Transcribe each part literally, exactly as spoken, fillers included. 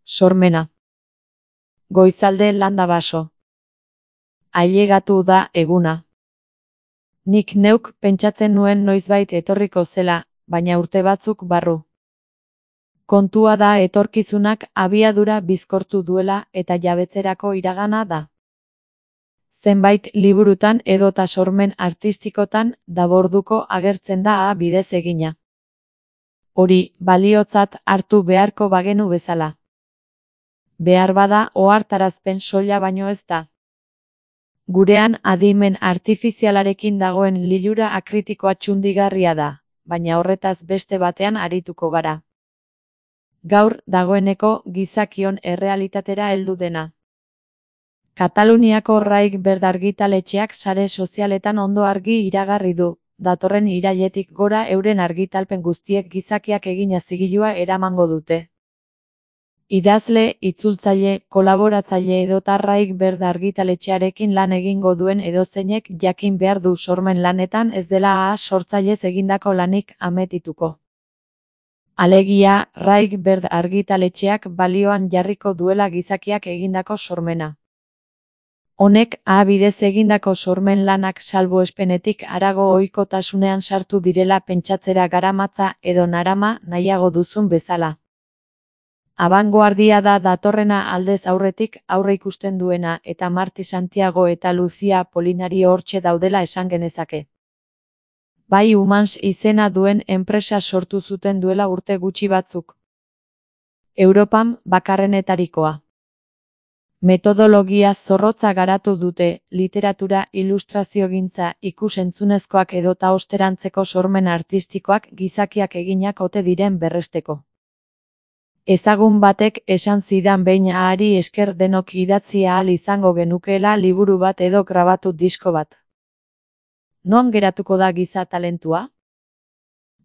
Sormena. Goizalde landa baso. Ailegatu da eguna. Nik neuk pentsatzen nuen noizbait etorriko zela, baina urte batzuk barru. Kontua da etorkizunak abiadura bizkortu duela eta jabetzerako iragana da. Zenbait liburutan edota sormen artistikotan daborduko agertzen da a bidez egina. Hori baliotzat hartu beharko bagenu bezala. Behar bada ohartarazpen soila baino ez da. Gurean adimen artifizialarekin dagoen lilura akritikoa txundigarria da, baina horretaz beste batean arituko gara. Gaur dagoeneko gizakion errealitatera heldu dena. Kataluniako Raik Berd argitaletxeak sare sozialetan ondo argi iragarri du, datorren irailetik gora euren argitalpen guztiek gizakiak egina zigilua eramango dute. Idazle, itzultzaile, kolaboratzaile edota Raik Berd argitaletxearekin lan egingo duen edozeinek jakin behar du sormen lanetan ez dela a sortzailez egindako lanik ametituko. Alegia, Raik Berd argitaletxeak balioan jarriko duela gizakiak egindako sormena. Honek a bidez egindako sormen lanak salbuespenetik harago ohikotasunean sartu direla pentsatzera garamatza edo narama nahiago duzun bezala. Abangoardia da datorrena aldez aurretik aurre ikusten duena eta Marti Santiago eta Lucia Polinario hortxe daudela esan genezake. Bai Humans izena duen enpresa sortu zuten duela urte gutxi batzuk. Europan bakarrenetarikoa. Metodologia zorrotza garatu dute, literatura, ilustraziogintza, ikus-entzunezkoak edota osterantzeko sormen artistikoak gizakiak eginak ote diren berresteko. Ezagun batek esan zidan behin ahari esker denok idatzi ahal izango genukeela liburu bat edo grabatu disko bat. Non geratuko da giza talentua?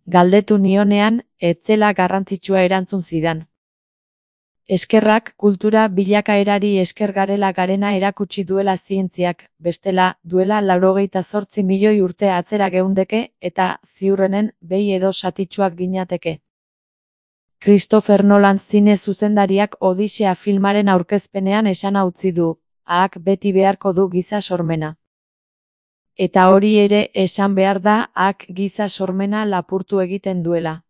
Galdetu nionean, ez zela garrantzitsua erantzun zidan. Eskerrak kultura bilakaerari esker garela garena erakutsi duela zientziak, bestela, duela laurogeita zortzi milioi urte atzera geundeke eta ziurrenen behi edo satitsuak ginateke. Christopher Nolan zine zuzendariak Odisea filmaren aurkezpenean esana utzi du, ahak beti beharko du giza sormena. Eta hori ere esan behar da ahak giza sormena lapurtu egiten duela.